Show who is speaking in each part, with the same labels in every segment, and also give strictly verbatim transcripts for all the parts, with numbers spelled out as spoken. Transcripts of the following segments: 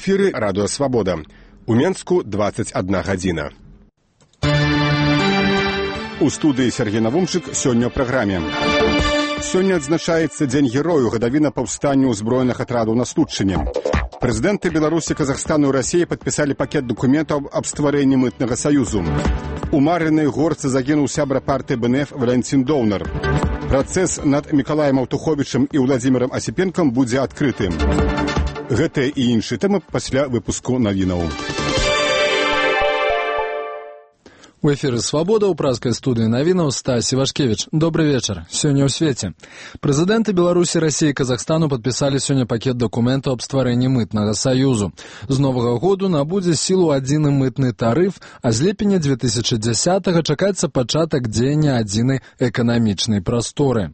Speaker 1: эфіры радыё «Свабода». У Менску двадцать одна гадзіна. У студыі Сергей Навумчык сёння ў праграме. Сёння адзначаецца Дзень герою, гадавіна паўстанню ўзброеных атрадаў на Случчыне. Прэзідэнты Беларусі, Казахстану і Расіі падпісалі пакет дакументаў аб стварэнні мытнага саюзу. У Марынай горцы загінуў сябра партыі бэ эн эф Валянцін Доўнар. Працэс над Мікалаем Аўтуховічам і Владзімірам Асіпенкам будзе адкрытым. Гэтыя і іншыя тэмы пасля выпуску навінаў.
Speaker 2: У эфіры «Свабода» ў празкай студыі навінаў Стась Івашкевіч. Добры вечар. Сёння ў свеце. Прэзідэнты Беларусі, Расіі і Казахстану падпісалі сёння пакет дакументаў аб стварэнні мытнага саюзу. З новага году набудзе сілу адзіны мытны тарыф, а з ліпеня две тысячы дзесятага чакаецца пачатак дзеяння адзінай эканамічнай прасторы.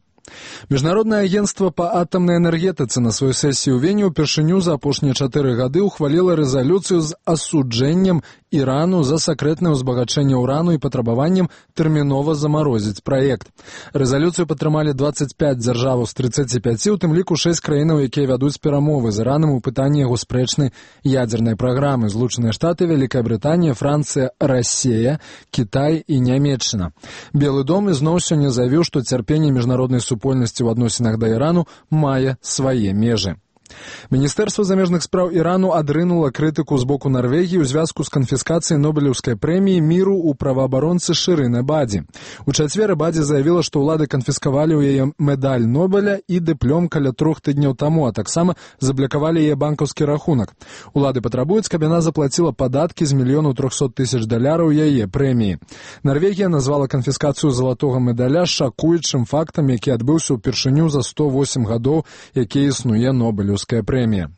Speaker 2: Міжнароднае агенцтва па атамнай энергетыцы на сваёй сесіі ў Вені ўпершыню за апошнія чатыры гады ўхваліла рэзалюцыю з асуджэннем Ірану за сакрэтнае ўзбагачэнне ўрану і патрабаваннем тэрмінова замарозіць праект. Рэзалюцыю падтрымалі дваццаць пяць дзяржаваў з трыццаці пяці, у тым ліку шэсць краінаў, якія вядуць перамовы з Іранам у пытанні яго спрэчнай ядзернай праграмы: Злучаныя Штаты, Вялікая Брытанія, Францыя, Расія, Кітай і Нямецчына. Белы дом ізноў сёння заявіў, што цярпенне міжнароднай супольнасці ў адносінах да Ірану мае свае межы. Міністэрства замежных спраў Ірану адрынула крытыку з боку Нарвегіі ў звязку з канфіскацыяй Нобелеўскай прэміі міру ў праваабаронцы Шырын Эбаді. У чацвер Эбаді заявіла, што ўлады канфіскавалі ў яе медаль Нобеля і дыплём каля трох тыдняў таму, а таксама заблакавалі яе банкаўскі рахунак. Улады патрабуюць, каб яна заплаціла падаткі з мільёнаў трохсот тысяч даляраў яе прэміі. Нарвегія назвала канфіскацыю залатога медаля шакуючым фактам, які адбыўся ўпершыню за сто восем гадоў, які існуе Нобелеўская прэмія.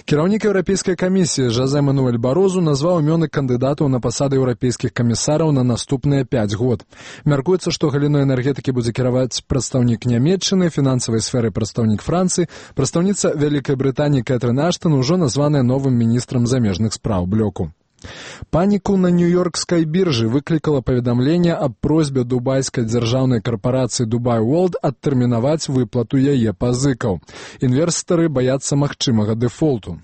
Speaker 2: Кіраўнік Еўрапейскай камісіі Жозе Мануэль Барозу назваў імёны кандыдатаў на пасады еўрапейскіх камісараў на наступныя пяць год. Мяркуецца, што галіной энергетыкі будзе кіраваць прадстаўнік Нямецчыны, фінансавай сферы прадстаўнік Францыі, прадстаўніца Вялікай Брытаніі Кэтрын Аштон ужо названая новым міністрам замежных спраў блоку. Паніку на нью-йоркскай біржы выклікала паведамленне аб просьбе дубайскай дзяржаўнай карпарацыі Dubai World адтэрмінаваць выплату яе пазыкаў. Інвестары баяцца магчымага дэфолту.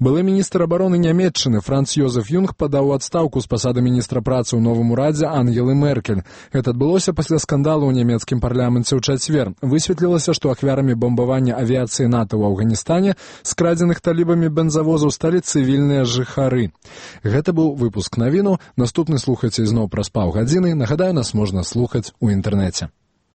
Speaker 2: Былы міністр абароны Нямецчыны Франц Йозеф Юнг падаў у адстаўку з пасады міністра працы ў новым урадзе Ангелы Меркель. Гэта адбылося пасля скандалу ў нямецкім парламенце ў чацвер. Высветлілася, што ахвярамі бамбавання авіяцыі НАТО ў Афганістане скрадзеных талібамі бензавозаў сталі цывільныя жыхары. Гэта быў выпуск навіну. Наступны слухайце ізноў праз паўгадзіны. Нагадаю, нас можна слухаць у інтэрнэце.